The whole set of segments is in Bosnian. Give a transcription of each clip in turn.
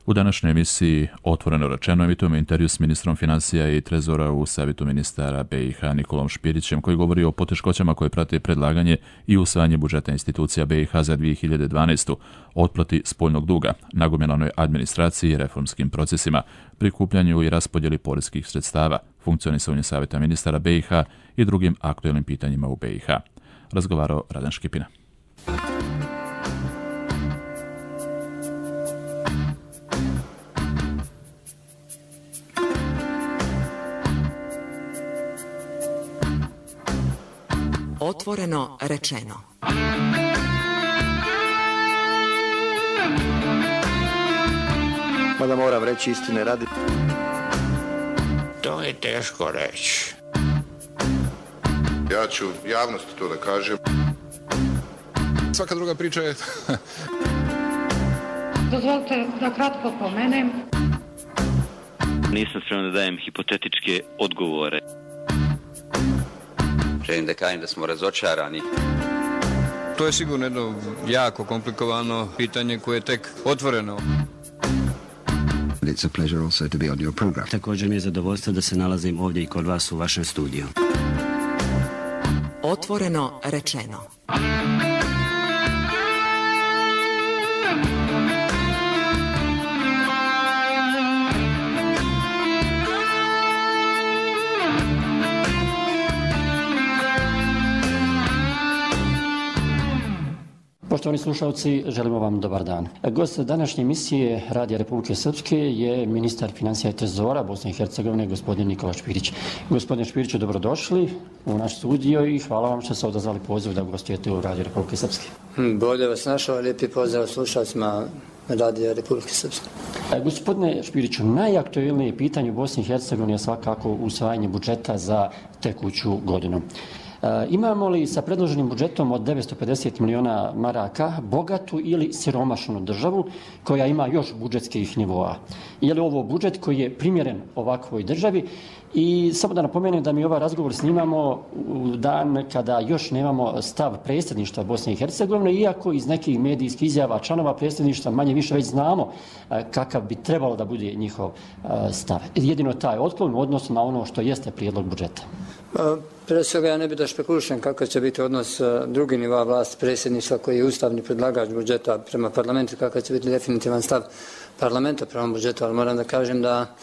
U današnjoj emisiji Otvoreno rečeno emitujemo intervju s ministrom financija i trezora u Savjetu ministara BiH Nikolom Špirićem, koji govori o poteškoćama koje prate predlaganje i usvajanje budžeta institucija BiH za 2012. otplati spoljnog duga, nagomilanoj administraciji i reformskim procesima, prikupljanju i raspodjeli poreskih sredstava, funkcionisanju Savjeta ministara BiH i drugim aktuelnim pitanjima u BiH. Razgovarao Radan Škipina. Otvoreno rečeno. Mada moram reći istine radi. To je teško reći. Ja ću javnosti to da kažem. Svaka druga priča je... Dozvolite da kratko pomenem. Nisam spreman da dajem hipotetičke odgovore. Želim da kažem da smo razočarani. To je sigurno jedno jako komplikovano pitanje koje je tek otvoreno. It's a pleasure also to be on your program. Također mi je zadovoljstvo da se nalazim ovdje i kod vas u vašem studiju. Otvoreno rečeno. Poštovani slušalci, želimo vam dobar dan. Gost današnje emisije Radija Republike Srpske je ministar financija i trezora Bosne i Hercegovine, gospodin Nikola Špirić. Gospodine Špiriću, dobrodošli u naš studio i hvala vam što ste odazvali poziv da gostujete u Radiju Republike Srpske. Bolje vas našao, lijepi pozdrav slušalcima Radija Republike Srpske. Gospodine Špiriću, najaktuelnije pitanje u Bosni i Hercegovini je svakako usvajanje budžeta za tekuću godinu. Imamo li sa predloženim budžetom od 950 miliona maraka bogatu ili siromašnu državu koja ima još budžetskih nivoa? Je li ovo budžet koji je primjeren ovakvoj državi? I samo da napomenem da mi ovaj razgovor snimamo u dan kada još nemamo stav predsjedništva Bosne i Hercegovine, iako iz nekih medijskih izjava članova predsjedništva manje više već znamo kakav bi trebalo da bude njihov stav. Jedino taj otklon u odnosu na ono što jeste prijedlog budžeta. Prije svega ja ne bih da špekulišem kakav će biti odnos drugi nivoa vlasti predsjedništva koji je ustavni predlagač budžeta prema parlamentu, kakav će biti definitivan stav parlamenta prema budžetu, ali moram da kažem da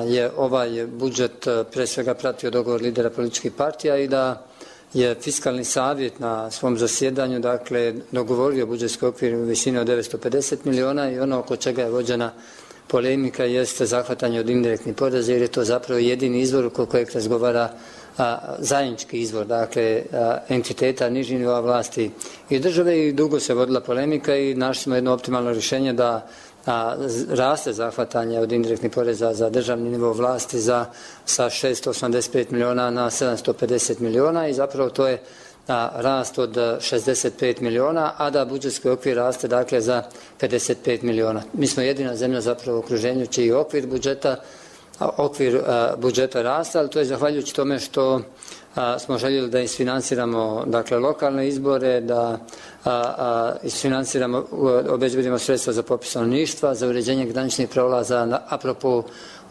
je ovaj budžet pre svega pratio dogovor lidera političkih partija i da je fiskalni savjet na svom zasjedanju dogovorio budžetski okvir u visini od 950 miliona i ono oko čega je vođena polemika jeste zahvatanje od indirektnih poreza, jer je to zapravo jedini izvor oko kojeg razgovara zajednički izvor, entiteta nižih nivoa vlasti i države, i dugo se vodila polemika i našli smo jedno optimalno rješenje da raste zahvatanje od indirektnih poreza za državni nivo vlasti sa 685 miliona na 750 miliona i zapravo to je rast od 65 miliona, a da budžetski okvir raste za 55 miliona. Mi smo jedina zemlja zapravo u okruženju čiji okvir budžeta raste, ali to je zahvaljujući tome što smo željeli da isfinansiramo lokalne izbore, da isfinansiramo, obezbedimo sredstva za popis stanovništva, za uređenje graničnih prelaza apropo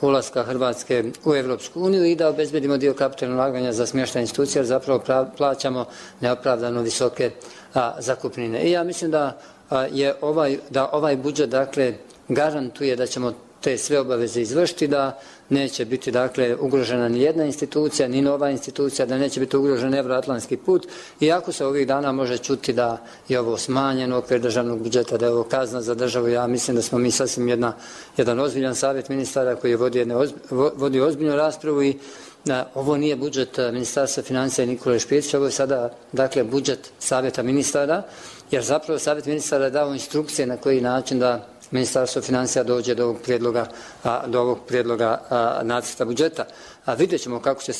ulaska Hrvatske u Evropsku uniju i da obezbedimo dio kapitalnog ulaganja za smještaj institucija, jer zapravo plaćamo neopravdano visoke zakupnine. I ja mislim da ovaj budžet garantuje da ćemo te sve obaveze izvršiti, da neće biti ugrožena ni jedna institucija, ni nova institucija, da neće biti ugrožen evroatlantski put, iako se ovih dana može čuti da je ovo smanjen okvir državnog budžeta, da je ovo kazna za državu. Ja mislim da smo mi sasvim jedan ozbiljan savjet ministara koji je vodio ozbiljnu raspravu i ovo nije budžet Ministarstva financija i Nikole Špirića, ovo je sada budžet savjeta ministara, jer zapravo savjet ministara je dao instrukcije na koji način da Ministarstvo financija dođe do ovog prijedloga nacrta budžeta. Vidjet ćemo kako će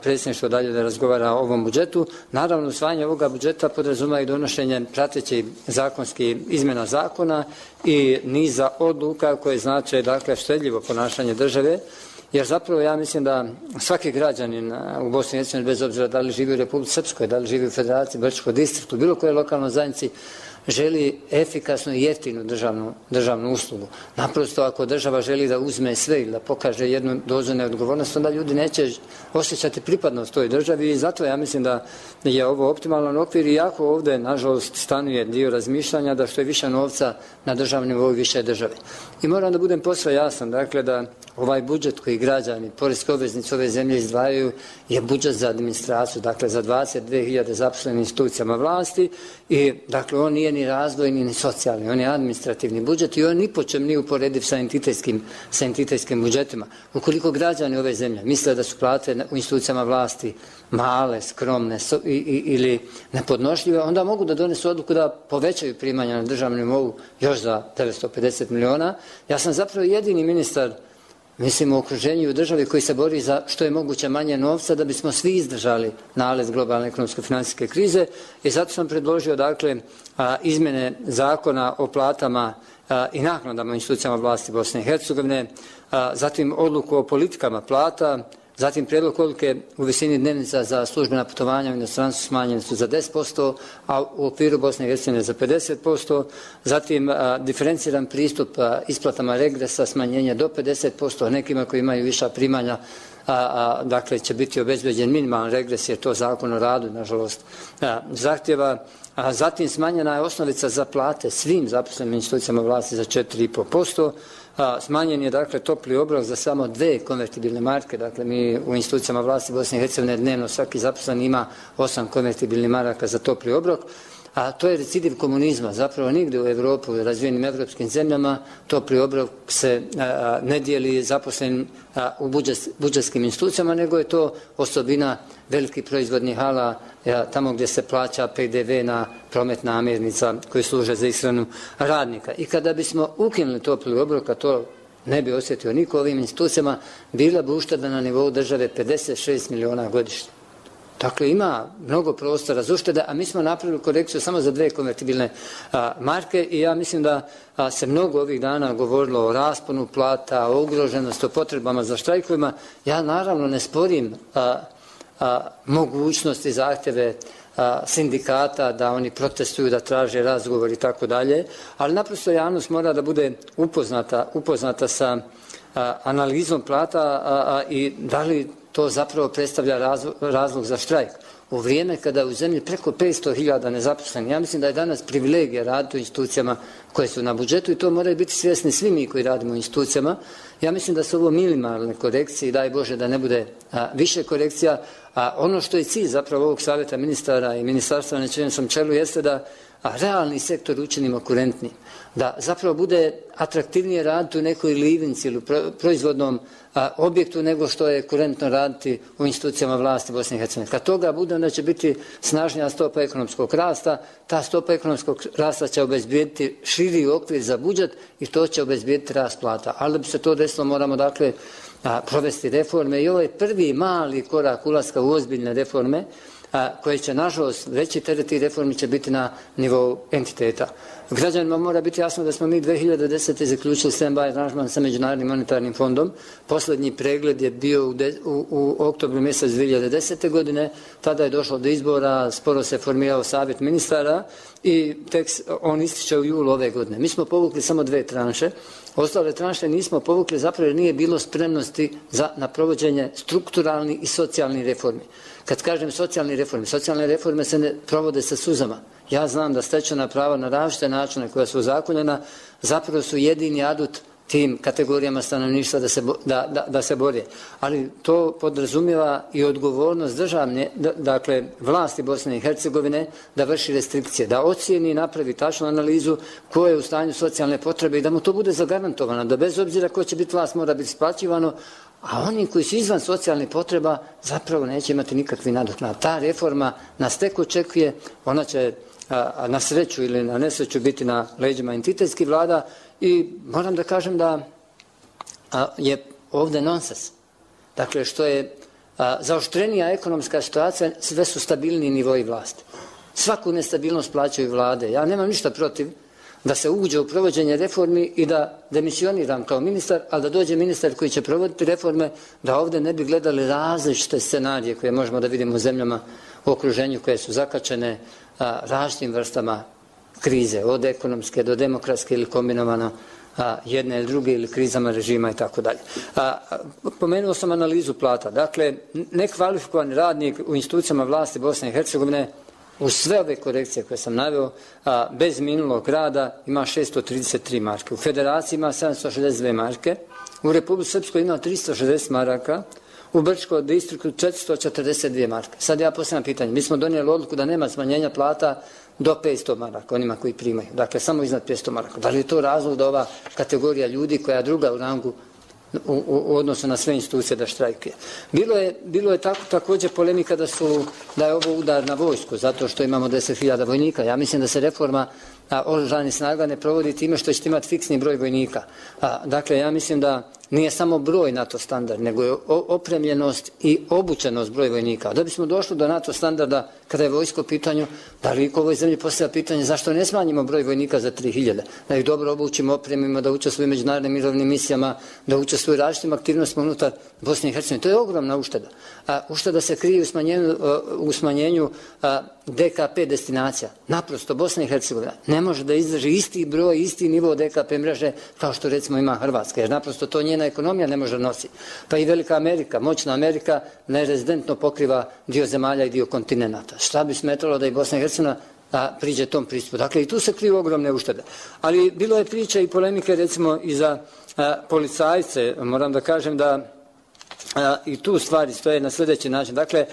predsjedništvo dalje da razgovara o ovom budžetu. Naravno, usvajanje ovoga budžeta podrazumeva i donošenje pratećih zakonskih izmjena zakona i niza odluka koje znače štedljivo ponašanje države, jer zapravo ja mislim da svaki građanin u Bosni i Hercegovini, bez obzira da li živi u Republici Srpskoj, da li živi u Federaciji, Brčkoj distriktu, bilo koje lokalnoj zajednici, želi efikasnu i jeftinu državnu uslugu. Naprosto ako država želi da uzme sve ili da pokaže jednu dozu neodgovornosti, onda ljudi neće osjećati pripadnost toj državi i zato ja mislim da je ovo optimalan okvir i jako ovdje, nažalost, stanuje dio razmišljanja da što je više novca na državnom nivou više države. I moram da budem posve jasan, dakle da ovaj budžet koji građani, poreski obveznici ove zemlje izdvajaju je budžet za administraciju, dakle za 22.000 zaposlenih institucijama vlasti i dakle on nije ni razvojni ni socijalni, on je administrativni budžet i on ni po čem nije uporediv sa entitetskim budžetima. Ukoliko građani ove zemlje misle da su plate u institucijama vlasti male, skromne ili nepodnošljive, onda mogu da donesu odluku da povećaju primanja na državnom nivou još za 950 miliona. Ja sam zapravo jedini ministar mislim u okruženju i u državi koji se bori za što je moguće manje novca da bismo svi izdržali nalet globalne ekonomsko-financijske krize i zato sam predložio dakle izmjene zakona o platama i naknadama u institucijama vlasti Bosne i Hercegovine, zatim odluku o politikama plata, zatim prijedlog odluke u visini dnevnica za službena putovanja u inostranstvu smanjene su za 10%, a u okviru Bosne i Hercegovine za 50%, zatim diferenciran pristup isplatama regresa, smanjenje do 50%, nekima koji imaju viša primanja, dakle će biti obezbeđen minimalan regres jer to zakon o radu, nažalost, zahtjeva. Zatim smanjena je osnovica za plate svim zaposlenim institucijama vlasti za 4,5%. Smanjen je dakle topli obrok za samo 2 konvertibilne marke, dakle mi u institucijama vlasti Bosne i Hercegovine dnevno svaki zaposlen ima 8 konvertibilnih maraka za topli obrok, a to je recidiv komunizma, zapravo nigdje u Evropi, u razvijenim evropskim zemljama, topli obrok se ne dijeli zaposlenim u budžetskim institucijama, nego je to osobina velikih proizvodnih hala, tamo gdje se plaća PDV na promet namirnica koji služe za ishranu radnika. I kada bismo ukinuli topli obrok, a to ne bi osjetio niko ovim institucijama, bila bi ušteda na nivou države 56 miliona godišnje. Dakle, ima mnogo prostora za uštede, a mi smo napravili korekciju samo za 2 konvertibilne marke i ja mislim da se mnogo ovih dana govorilo o rasponu plata, o ugroženosti, o potrebama za štrajkovima. Ja naravno ne sporim mogućnosti i zahtjeve sindikata da oni protestuju, da traže razgovor i tako dalje, ali naprosto javnost mora da bude upoznata sa analizom plata i da li to zapravo predstavlja razlog za štrajk. U vrijeme kada u zemlji preko 500.000 nezaposlenih, ja mislim da je danas privilegija raditi u institucijama koje su na budžetu i to moraju biti svjesni svi mi koji radimo u institucijama. Ja mislim da su ovo minimalne korekcije i daj Bože da ne bude više korekcija. A ono što je cilj zapravo ovog savjeta ministara i ministarstva na čijem sam čelu jeste da realni sektor učinimo kurentnim, da zapravo bude atraktivnije raditi u nekoj livnici ili proizvodnom objektu nego što je kurentno raditi u institucijama vlasti Bosne i Hercegovine. Kad toga bude, onda će biti snažnija stopa ekonomskog rasta, ta stopa ekonomskog rasta će obezbijediti širi okvir za budžet i to će obezbijediti rast plata. Ali da bi se to desilo moramo dakle provesti reforme i ovo je prvi mali korak ulaska u ozbiljne reforme koje će, nažalost, veći teret tih reformi će biti na nivou entiteta. Građanima mora biti jasno da smo mi 2010. zaključili stand-by aranžman sa Međunarodnim monetarnim fondom. Posljednji pregled je bio u oktobru mjesec 2010. godine. Tada je došlo do izbora, sporo se formirao savjet ministara i on ističe u julu ove godine. Mi smo povukli samo 2 tranše. Ostale tranše nismo povukli zapravo jer nije bilo spremnosti na provođenje strukturalnih i socijalnih reformi. Kad kažem socijalne reforme se ne provode sa suzama. Ja znam da stečena prava na različite načine koja su ozakonjena zapravo su jedini adut tim kategorijama stanovništva da se bore. Ali to podrazumijeva i odgovornost državne, dakle vlasti Bosne i Hercegovine da vrši restrikcije, da ocijeni i napravi tačnu analizu ko je u stanju socijalne potrebe i da mu to bude zagarantovano, da bez obzira ko će biti vlast mora biti isplaćivano, a oni koji su izvan socijalnih potreba zapravo neće imati nikakvi nadoknad. Ta reforma nas tek očekuje, ona će na sreću ili na nesreću biti na leđima entitetskih vlada i moram da kažem da je ovdje nonsens. Dakle, što je zaoštrenija ekonomska situacija, sve su stabilniji nivoji vlasti. Svaku nestabilnost plaćaju vlade. Ja nemam ništa protiv da se uđe u provođenje reformi i da demisioniram kao ministar, ali da dođe ministar koji će provoditi reforme, da ovdje ne bi gledali različite scenarije koje možemo da vidimo u zemljama u okruženju koje su zakačene različitim vrstama krize, od ekonomske do demokratske ili kombinovano jedne ili druge ili krizama režima i tako dalje. Pomenuo sam analizu plata. Dakle, nekvalifikovani radnik u institucijama vlasti Bosne i Hercegovine uz sve ove korekcije koje sam naveo, bez minulog rada ima 633 marke. U Federaciji ima 762 marke, u Republici Srpskoj ima 360 maraka, u Brčkom distriktu 442 marke. Sad ja postavljam pitanje. Mi smo donijeli odluku da nema smanjenja plata do 500 maraka, onima koji primaju. Dakle, samo iznad 500 maraka. Da li je to razlog da ova kategorija ljudi koja je druga u rangu u odnosu na sve institucije da štrajkuje? Bilo je također polemika da je ovo udar na vojsku, zato što imamo 10.000 vojnika. Ja mislim da se reforma oružanih snaga ne provodi time što ćete imati fiksni broj vojnika. Dakle, ja mislim da nije samo broj NATO standard, nego je opremljenost i obučenost broj vojnika. Da bismo došli do NATO standarda kada je vojsko u pitanju, da li u ovoj zemlji postavlja pitanje zašto ne smanjimo broj vojnika za 3.000, da ih dobro obučimo, opremimo, da učestvuju u međunarodnim mirovnim misijama, da učestvuju u različitim aktivnostima unutar Bosne i Hercegovine. To je ogromna ušteda. Ušteda se krije u smanjenju DKP destinacija. Naprosto Bosna i Hercegovina ne može da izdrži isti broj, isti nivo DKP mreže kao što recimo ima Hrvatska, jer naprosto to njena ekonomija ne može nositi. Pa i velika Amerika, moćna Amerika nerezidentno pokriva dio zemalja i dio kontinenta. Šta bi smetalo da i Bosna i Hercegovina priđe tom pristupu? Dakle, i tu se kriju ogromne uštede. Ali bilo je priče i polemike recimo i za policajce. Moram da kažem da i tu stvari stoje na sljedeći način. Dakle,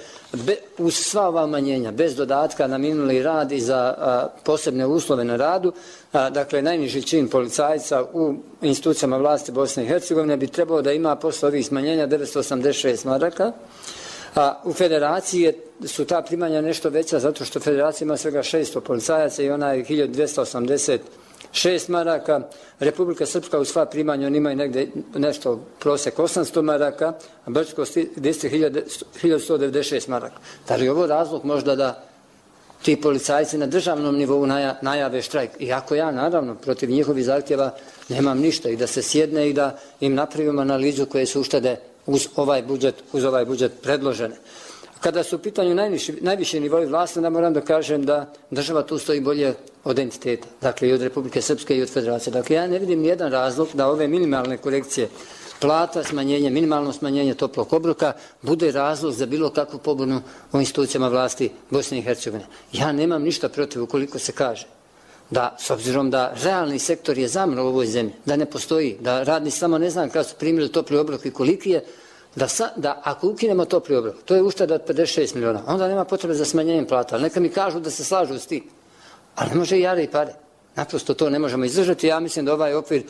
uz sva ova umanjenja, bez dodatka na minuli rad i za posebne uslove na radu, dakle, najniži čin policajca u institucijama vlasti Bosne i Hercegovine bi trebao da ima posle ovih smanjenja 986 maraka. U Federaciji su ta primanja nešto veća zato što Federacija ima svega 600 policajaca i ona je 1286 maraka. Republika Srpska u sva primanja on imaju negdje nešto prosjek 800 maraka, a Brčko distrikt 1196 maraka. Da li je ovo razlog možda da ti policajci na državnom nivou najave štrajk? Iako ja naravno protiv njihovih zahtjeva nemam ništa i da se sjedne i da im napravimo analizu koje su uštede uz ovaj budžet predložene. Kada su u pitanju najviše nivoji vlasti, onda moram da kažem da država tu stoji bolje od entiteta, dakle i od Republike Srpske i od Federacije. Dakle, ja ne vidim nijedan razlog da ove minimalne korekcije plata, smanjenje, minimalno smanjenje toplog obroka bude razlog za bilo kakvu pobunu u institucijama vlasti Bosne i Hercegovine. Ja nemam ništa protiv ukoliko se kaže da, s obzirom da realni sektor je zamro u ovoj zemlji, da ne postoji, da radni samo ne znam kada su primili topli obrok i koliki je, da ako ukinemo topli obrok, to je ušteda od 56 miliona, onda nema potrebe za smanjenjem plata. Ali neka mi kažu da se slažu s tim. Ali ne može i jare i pare. Naprosto to ne možemo izdržati. Ja mislim da ovaj okvir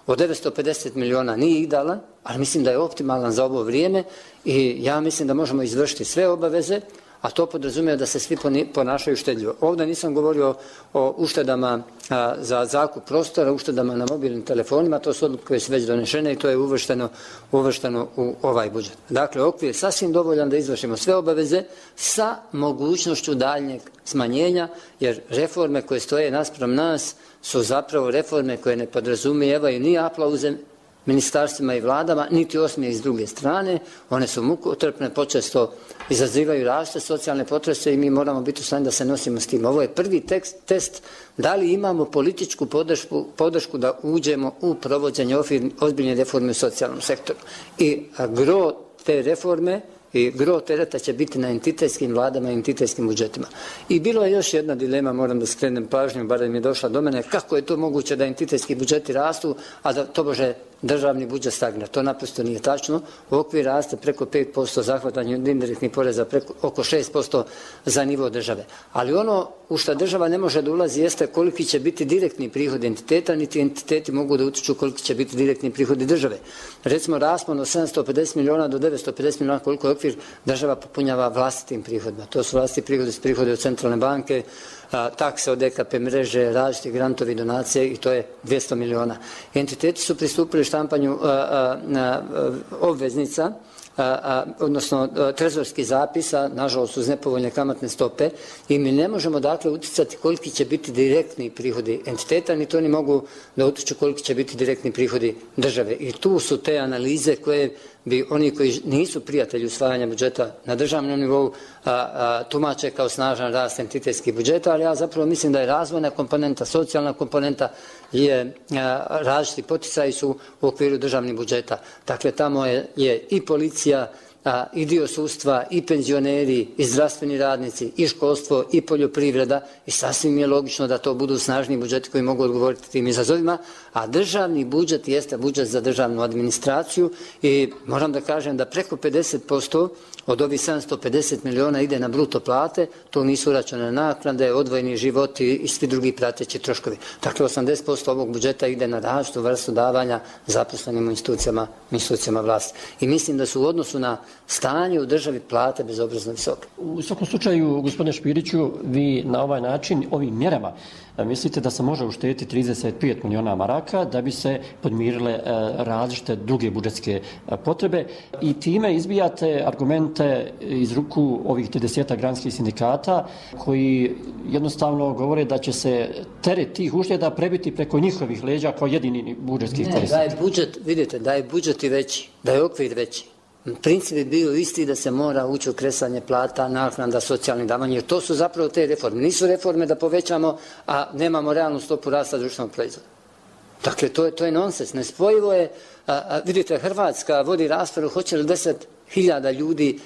od 950 miliona nije idealan, ali mislim da je optimalan za ovo vrijeme i ja mislim da možemo izvršiti sve obaveze, a to podrazumije da se svi ponašaju štedljivo. Ovdje nisam govorio o uštedama za zakup prostora, uštedama na mobilnim telefonima, to su odluke koje su već donešene i to je uvršteno u ovaj budžet. Dakle, okvir je sasvim dovoljan da izvršimo sve obaveze sa mogućnošću daljnjeg smanjenja, jer reforme koje stoje naspram nas su zapravo reforme koje ne podrazumijevaju ni aplauze ministarstvima i vladama, niti osmijeh s druge strane. One su mukotrpne, počesto izazivaju različite socijalne potrese i mi moramo biti u stanju da se nosimo s tim. Ovo je prvi test da li imamo političku podršku da uđemo u provođenje ozbiljne reforme u socijalnom sektoru. I gro te reforme i gro tereta će biti na entitetskim vladama i entitetskim budžetima. I bilo je još jedna dilema, moram da skrenem pažnju, barem je došla do mene, kako je to moguće da entitetski budžeti rastu, a da tobože državni budžet stagnira. To naprosto nije tačno. Okvir raste preko 5% zahvatanje od indirektnih poreza, oko 6% za nivo države. Ali ono u što država ne može da ulazi jeste koliki će biti direktni prihod entiteta, niti entiteti mogu da utiču koliki će biti direktni prihodi države. Recimo, raspon od 750 miliona do 950 miliona koliko je okvir država popunjava vlastitim prihodima. To su vlastiti prihodi od centralne banke, takse od DKP mreže, različiti grantovi, donacije i to je 200 miliona. Entiteti su pristupili štampanju obveznica odnosno trezorskih zapisa, nažalost uz nepovoljne kamatne stope, i mi ne možemo dakle uticati koliki će biti direktni prihodi entiteta, ni to ni mogu da utiču koliki će biti direktni prihodi države. I tu su te analize koje bi oni koji nisu prijatelji usvajanja budžeta na državnom nivou tumače kao snažan rast entitetskih budžeta, ali ja zapravo mislim da je razvojna komponenta, socijalna komponenta je različiti poticaji su u okviru državnih budžeta. Dakle, tamo je i policija, i dio sudstva, i penzioneri, i zdravstveni radnici, i školstvo, i poljoprivreda, i sasvim je logično da to budu snažni budžeti koji mogu odgovoriti tim izazovima, a državni budžet jeste budžet za državnu administraciju i moram da kažem da preko 50% od ovih 750 miliona ide na bruto plate, to nisu uračunane naknade, odvojeni životi i svi drugi prateći troškovi. Dakle, 80% ovog budžeta ide na različitu vrstu davanja zaposlenim u institucijama vlasti. I mislim da su u odnosu na stanje u državi plate bezobrazno visoke. U svakom slučaju, gospodine Špiriću, vi na ovaj način, ovim mjerama, mislite da se može uštediti 35 miliona maraka da bi se podmirile različite druge budžetske potrebe i time izbijate argumente iz ruku ovih 30 granskih sindikata koji jednostavno govore da će se teret tih ušteda prebiti preko njihovih leđa kao jedini budžetski korisnik. Da je budžet, vidite, da je budžet i veći, da je okvir veći. Princip je bio isti da se mora ući u kresanje plata, naknada, socijalnih davanja, jer to su zapravo te reforme. Nisu reforme da povećamo, a nemamo realnu stopu rasta društvenog proizvoda. Dakle, to je nonsens. Nespojivo je, vidite, Hrvatska vodi raspravu, hoće li 10.000 ljudi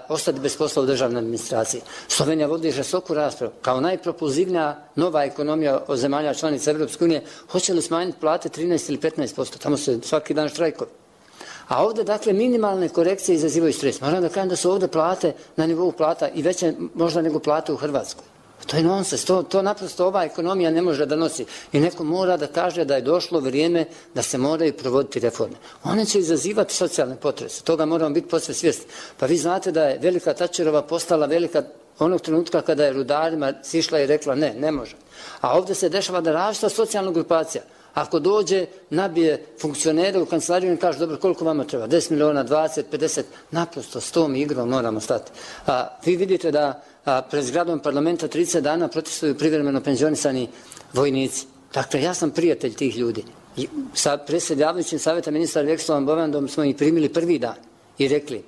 ostati bez posla u državnoj administraciji. Slovenija vodi žestoku raspravu. Kao najpropulzivnija nova ekonomija od zemalja članica Evropske unije, hoće li smanjiti plate 13 ili 15%? Tamo se svaki dan štrajkovi. A ovdje, dakle, minimalne korekcije izazivaju stres. Moram da kažem da su ovdje plate na nivou plata i veće možda nego plate u Hrvatskoj. To je nonsens. To naprosto ova ekonomija ne može da nosi. I neko mora da kaže da je došlo vrijeme da se moraju provoditi reforme. One će izazivati socijalne potrese. Toga moramo biti posve svjesni. Pa vi znate da je velika Tačerova postala velika onog trenutka kada je rudarima sišla i rekla ne može. A ovdje se dešava da različita socijalna grupacija. Ako dođe, nabije funkcionere u kancelariju i kaže, dobro, koliko vama treba? 10 miliona, 20, 50, naprosto s tom igrom moramo stati. Vi vidite da pred zgradom parlamenta 30 dana protestuju privremeno penzionisani vojnici. Dakle, ja sam prijatelj tih ljudi. Sa predsjedavajućim savjeta ministra Vekslavom Bovandom smo ih primili prvi dan i rekli,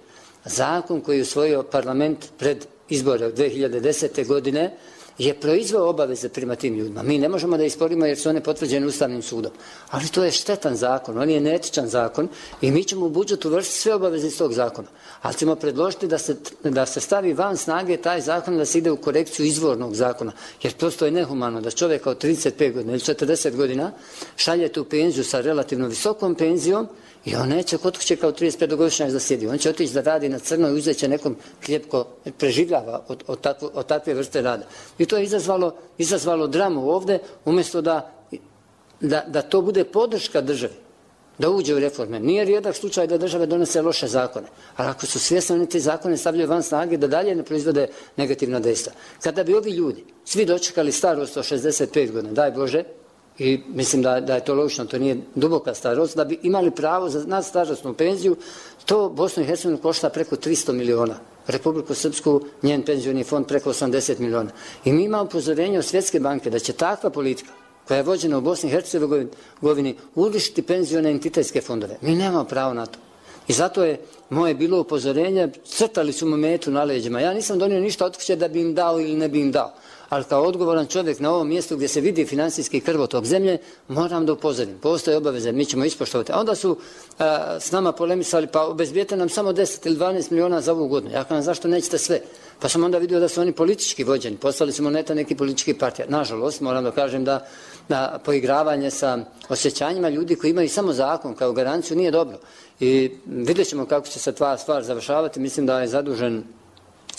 zakon koji je usvojio parlament pred izbore od 2010. godine je proizveo obaveze prema tim ljudima. Mi ne možemo da isporimo jer su one potvrđene Ustavnim sudom. Ali to je štetan zakon, on je neetičan zakon i mi ćemo u budžetu vršiti sve obaveze iz tog zakona. Ali ćemo predložiti da se stavi van snage taj zakon, da se ide u korekciju izvornog zakona. Jer prosto je nehumano da čovjeka od 35 godina ili 40 godina šaljete u penziju sa relativno visokom penzijom i on neće kod kuće kao 35-godišnjak da sjedi. On će otići da radi na crno i uzet će nekom hljeb ko preživljava od takve vrste rada. I to je izazvalo dramu ovdje, umjesto da to bude podrška državi, da uđe u reforme. Nije rijedak slučaj da države donese loše zakone, ali ako su svjesni, oni te zakone stavljaju van snage da dalje ne proizvode negativna dejstva. Kada bi ovi ljudi svi dočekali starost od 65 godina, daj Bože, i mislim da je to logično, to nije duboka starost, da bi imali pravo na starosnu penziju, to Bosnu i Hercegovinu košta preko 300 miliona. Republiku Srpsku, njen penzioni fond preko 80 miliona. I mi imamo upozorenje od Svjetske banke da će takva politika koja je vođena u Bosni i Hercegovini urušiti penzione entitetske fondove. Mi nemamo pravo na to. I zato je moje bilo upozorenje, crtali su mu metu na leđima. Ja nisam donio ništa od kuće da bi im dao ili ne bi im dao. Ali kao odgovoran čovjek na ovom mjestu gdje se vidi financijski krvotok zemlje, moram da upozorim. Postoje obaveze, mi ćemo ispoštovati. A onda su s nama polemisali, pa obezbijete nam samo 10 ili 12 miliona za ovu godinu. Ja kažem, zašto nećete sve? Pa sam onda vidio da su oni politički vođeni. Poslali su moneta neki politički partija. Nažalost, moram da kažem da poigravanje sa osjećanjima ljudi koji imaju samo zakon kao garanciju nije dobro. I vidjet ćemo kako će se ta stvar završavati. Mislim da je zadužen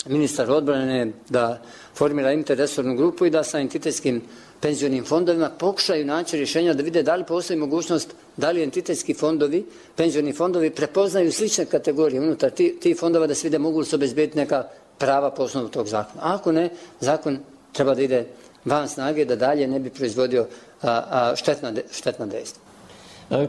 ministar odbrane da formira interresornu grupu i da sa entitetskim penzionim fondovima pokušaju naći rješenja da vide da li postoji mogućnost da li entitetski fondovi, penzioni fondovi prepoznaju slične kategorije unutar tih fondova da se vide mogu li se obezbediti neka prava po osnovu tog zakona. A ako ne, zakon treba da ide van snage da dalje ne bi proizvodio štetna dejstva.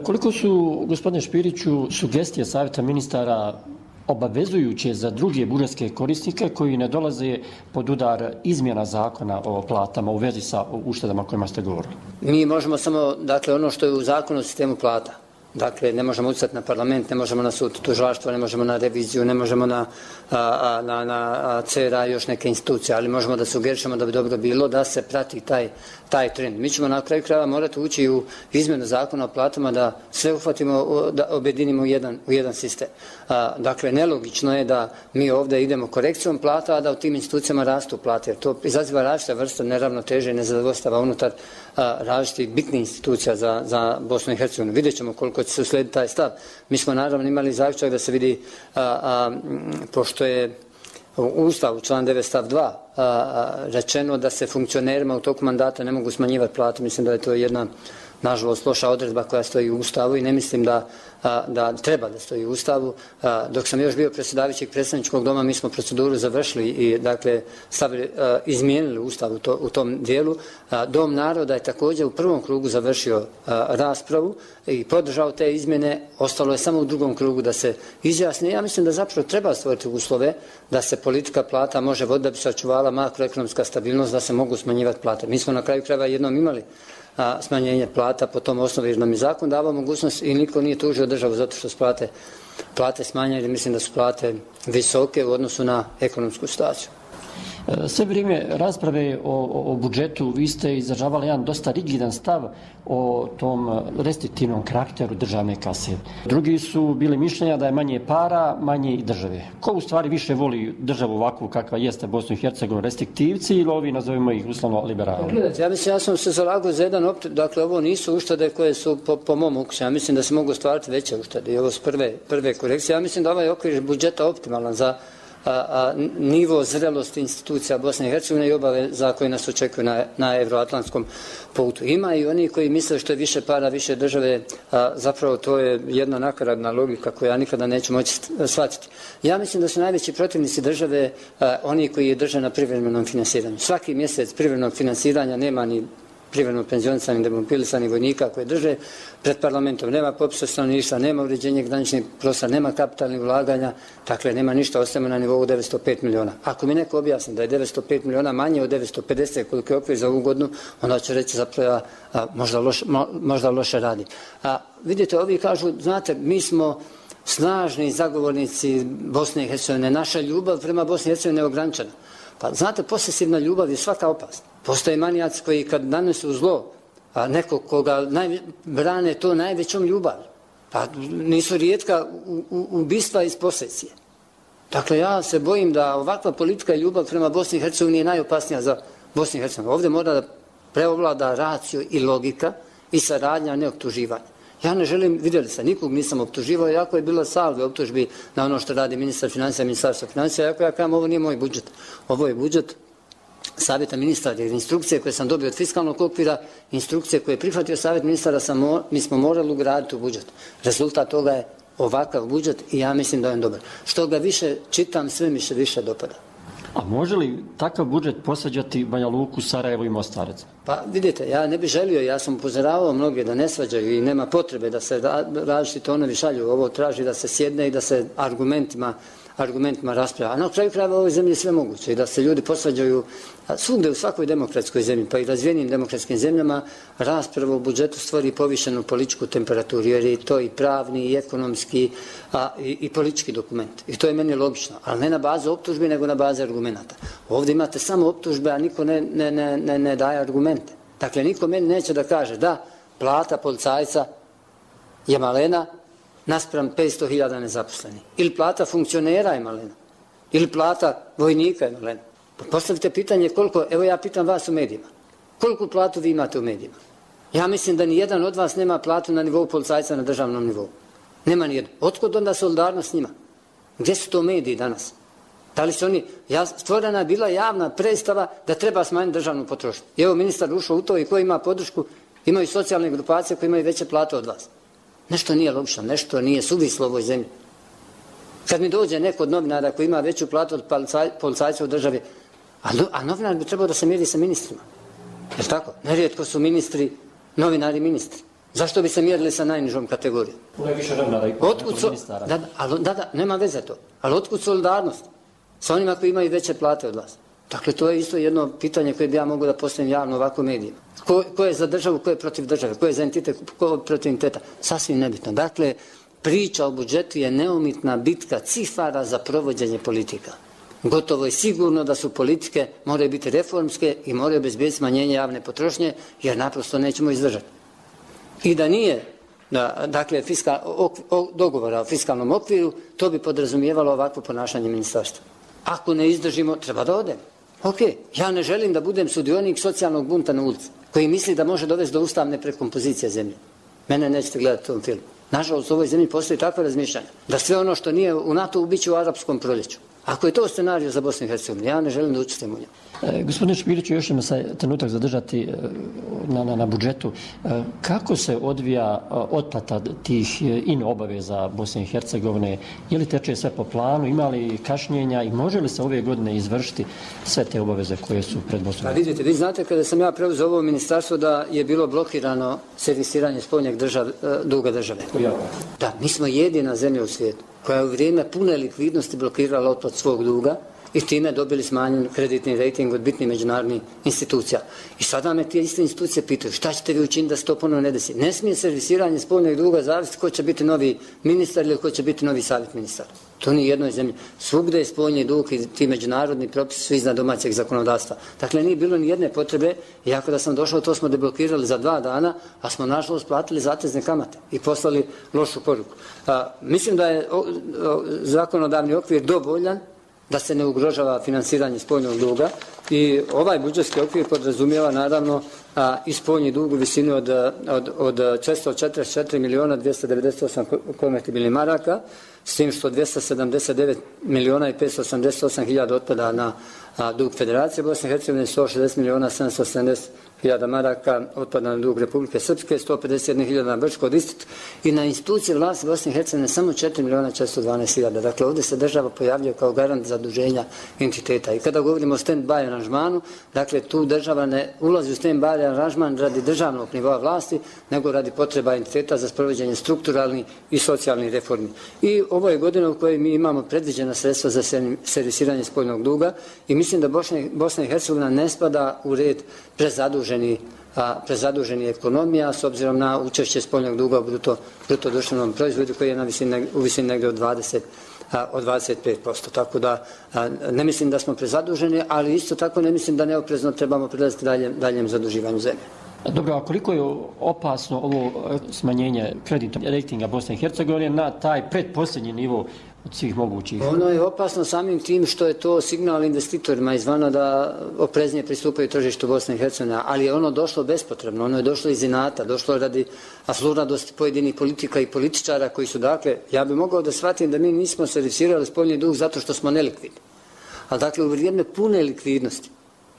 Koliko su, gospodine Špiriću, sugestije savjeta ministara obavezujuće za druge budžetske korisnike koji ne dolaze pod udar izmjena zakona o platama u vezi sa uštedama o kojima ste govorili? Mi možemo samo, dakle, ono što je u zakonu o sistemu plata. Dakle, ne možemo utjecati na parlament, ne možemo na sud tužilaštva, ne možemo na reviziju, ne možemo na CRA i još neke institucije, ali možemo da sugerišemo da bi dobro bilo da se prati taj trend. Mi ćemo na kraju krajeva morati ući u izmjenu zakona o platama da sve uhvatimo, da objedinimo u jedan sistem. Dakle, nelogično je da mi ovdje idemo korekcijom plata, a da u tim institucijama rastu plate, jer to izaziva različite vrste neravnoteže i nezadovoljstava unutar različitih bitnih institucija za Bosnu i Hercegovinu. Vidjet ćemo koliko će se uslijediti taj stav. Mi smo naravno imali zaključak da se vidi, pošto je u Ustavu član 9 stav 2 rečeno da se funkcionerima u toku mandata ne mogu smanjivati plate. Mislim da je to jedna, nažalost, loša odredba koja stoji u Ustavu i ne mislim da treba da stoji u Ustavu. Dok sam još bio predsjedavajućeg predstavničkog doma, mi smo proceduru završili i dakle izmijenili Ustav u tom dijelu. Dom naroda je također u prvom krugu završio raspravu i podržao te izmjene. Ostalo je samo u drugom krugu da se izjasni. Ja mislim da zapravo treba stvoriti uslove da se politika plata može voditi da bi se očuvala makroekonomska stabilnost, da se mogu smanjivati plate. Mi smo na kraju krajeva jednom imali smanjenje plata po tom osnovi, jer nam je zakon davao mogućnost i niko nije tužio državu zato što su plate smanjene, jer mislim da su plate visoke u odnosu na ekonomsku situaciju. Sve vrijeme rasprave o budžetu vi ste izražavali jedan dosta rigidan stav o tom restriktivnom karakteru državne kase. Drugi su bili mišljenja da je manje para, manje i države. Ko u stvari više voli državu ovakvu kakva jeste Bosnu i Hercegovinu, restriktivci ili ovi, nazovimo ih uslovno, liberalni? Ja mislim, ja sam se zalagao za jedan dakle ovo nisu uštede koje su po mom ukusu. Ja mislim da se mogu stvariti veće uštede i ovo su prve korekcije. Ja mislim da ovaj okvir budžeta optimalan za nivo zrelosti institucija Bosne i Hercegovine i obaveza koje nas očekuju na evroatlantskom putu. Ima i oni koji misle što je više para, više države, zapravo to je jedna nakaradna logika koju ja nikada neću moći shvatiti. Ja mislim da su najveći protivnici države oni koji je drže na privremenom finansiranju. Svaki mjesec privremenog finansiranja nema ni privremeno penzionisanih, demobilisanih vojnika koje drže pred parlamentom. Nema popisa stanovništva, nema uređenja graničnih prostora, nema kapitalnih ulaganja, dakle nema ništa, ostajemo na nivou 905 miliona. Ako mi neko objasni da je 905 miliona manje od 950 koliko je okvir za ovu godinu, onda će reći zapravo možda loše radi. Vidite, ovi kažu, znate, mi smo snažni zagovornici Bosne i Hercegovine, naša ljubav prema Bosni i Hercegovini je ograničena. Pa znate, posesivna ljubav je svaka opasna. Postoje manijaci koji kad nanesu zlo, a neko koga brane to najvećom ljubav, pa nisu rijetka ubistva iz posesije. Dakle, ja se bojim da ovakva politika i ljubav prema Bosni i Hercegovini je najopasnija za Bosnu i Hercegovinu. Ovdje mora da preovlada racio i logika i saradnja, ne optuživanja. Ja ne želim, vidjeli ste, nikog nisam optuživao, jako je bilo salve optužbi na ono što radi ministar financija, ministarstvo financija, jako ja kažem, ovo nije moj budžet. Ovo je budžet savjeta ministara, jer instrukcije koje sam dobio od fiskalnog okvira, instrukcije koje je prihvatio savjet ministara, mi smo morali ugraditi u budžet. Rezultat toga je ovakav budžet i ja mislim da je on dobar. Što ga više čitam, sve mi se više dopada. A može li takav budžet posvađati Banja Luku, Sarajevo i Mostarec? Pa vidite, ja ne bih želio, ja sam upozoravao mnoge da ne svađaju i nema potrebe da se različiti tonovi šalju. Ovo traži da se sjedne i da se argumentima raspravlja. A na kraju krajeva u ovoj zemlji je sve moguće i da se ljudi posvađaju svugde u svakoj demokratskoj zemlji, pa i razvijenim demokratskim zemljama, rasprava o budžetu stvori povišenu političku temperaturu, jer je to i pravni, i ekonomski, i politički dokument. I to je meni logično, ali ne na bazu optužbe, nego na bazi argumenta. Ovdje imate samo optužbe, a niko ne daje argumente. Dakle, niko meni neće da kaže da plata policajca je malena naspram 500.000 nezaposlenih. Ili plata funkcionera je malena. Ili plata vojnika je malena. Pa postavite pitanje koliko, evo ja pitam vas u medijima, koliko platu vi imate u medijima? Ja mislim da ni jedan od vas nema platu na nivou policajca na državnom nivou. Nema ni jedan. Otkud onda solidarnost s njima? Gdje su to mediji danas? Da li su oni, stvorena je bila javna predstava da treba smanjiti državnu potrošnju. I evo ministar ušao u to i ko ima podršku, imaju socijalne grupacije koje imaju veće plate od vas. Nešto nije logično, nešto nije suvislo u ovoj zemlji. Kad mi dođe neko od novinara koji ima veću platu od policajca u državi, a novinar bi trebao da se mjeri sa ministrima. Je li tako? Nerijetko su ministri, novinari ministri. Zašto bi se mjerili sa najnižom kategorijom? Nema veze to. Ali otkud solidarnost? Sa onima koji imaju veće plate od vas. Dakle, to je isto jedno pitanje koje bi ja mogu da postavim javno ovako medijima. Ko je za državu, ko je protiv države, ko je za entitet, ko je protiv entiteta? Sasvim nebitno. Dakle, priča o budžetu je neumitna bitka cifara za provođenje politika. Gotovo je sigurno da su politike moraju biti reformske i moraju obezbediti smanjenje javne potrošnje, jer naprosto nećemo izdržati. I da nije dakle, dogovora o fiskalnom okviru, to bi podrazumijevalo ovakvo ponašanje ministarstva. Ako ne izdržimo, treba da odemo. Ok, ja ne želim da budem sudionik socijalnog bunta na ulici, koji misli da može dovesti do ustavne prekompozicije zemlje. Mene nećete gledati u tom filmu. Nažalost, u ovoj zemlji postoji takva razmišljanja, da sve ono što nije u NATO biće u arapskom proljeću. Ako je to scenarij za Bosnu i Hercegovinu, ja ne želim da učestvujem u njemu. Gospodine Špiriću, još ćemo se trenutak zadržati na budžetu. Kako se odvija otplata tih obaveza Bosne i Hercegovine? Je li teče sve po planu? Ima li kašnjenja i može li se ove godine izvršiti sve te obaveze koje su pred Bosnom? Pa vidite, vi znate kada sam ja preuzeo ovo ministarstvo da je bilo blokirano servisiranje spoljnjeg duga države. Da, mi smo jedina zemlja u svijetu koja je u vrijeme pune likvidnosti blokirala otplat svog duga i time dobili smanjen kreditni rating od bitnih međunarodnih institucija. I sada me tije iste institucije pitaju šta ćete vi učiniti da se to ponovno ne desi. Ne smije servisiranje spoljnog duga zavisiti ko će biti novi ministar ili ko će biti novi savjet ministar. To nije jednoj zemlji. Svugde je spoljni dug i ti međunarodni propisi su iznad domaćeg zakonodavstva. Dakle, nije bilo ni jedne potrebe, iako da sam došao, to smo deblokirali za 2 dana, a smo nažalost platili zatezne kamate i poslali lošu poruku. Mislim da je zakonodavni okvir dovoljan da se ne ugrožava finansiranje spoljnog duga i ovaj budžetski okvir podrazumijeva naravno i spoljni dug u visini od 444 miliona 298 konvertibilnih maraka, s tim što 279 miliona i 588 hiljada otpada na dug Federacije Bosne i Hercegovine, 160 miliona 770 hiljada maraka otpada na dug Republike Srpske, 151 hiljada na Brčko distrikt i na institucije vlasti Bosne i Hercegovine samo 4 miliona 412 hiljada. Dakle, ovdje se država pojavljuje kao garant zaduženja entiteta. I kada govorimo o stand-by aranžmanu, dakle, tu država ne ulazi u stand-by aranžman radi državnog nivoa vlasti, nego radi potreba entiteta za sprovođenje strukturalnih i socijalnih reformi. I ovo je godina u kojoj mi imamo predviđena sredstva za servisiranje spoljnog duga i mislim da Bosna i Hercegovina ne spada u red prezaduženi ekonomija s obzirom na učešće spoljnog duga u bruto društvenom proizvodu koji je u visini negdje od 25%. Tako da ne mislim da smo prezaduženi, ali isto tako ne mislim da neoprezno trebamo prilaziti daljem zaduživanju zemlje. Dobro, a koliko je opasno ovo smanjenje kreditnog rejtinga Bosne i Hercegovine na taj predposljednji nivo od svih mogućih? Ono je opasno samim tim što je to signal investitorima izvana da opreznije pristupaju tržištu Bosne i Hercegovine, ali je ono došlo bespotrebno, ono je došlo iz inata, došlo radi afluradosti pojedinih politika i političara koji su, dakle, ja bih mogao da shvatim da mi nismo servisirali spoljni dug zato što smo nelikvidni. Ali dakle, u vrijeme pune likvidnosti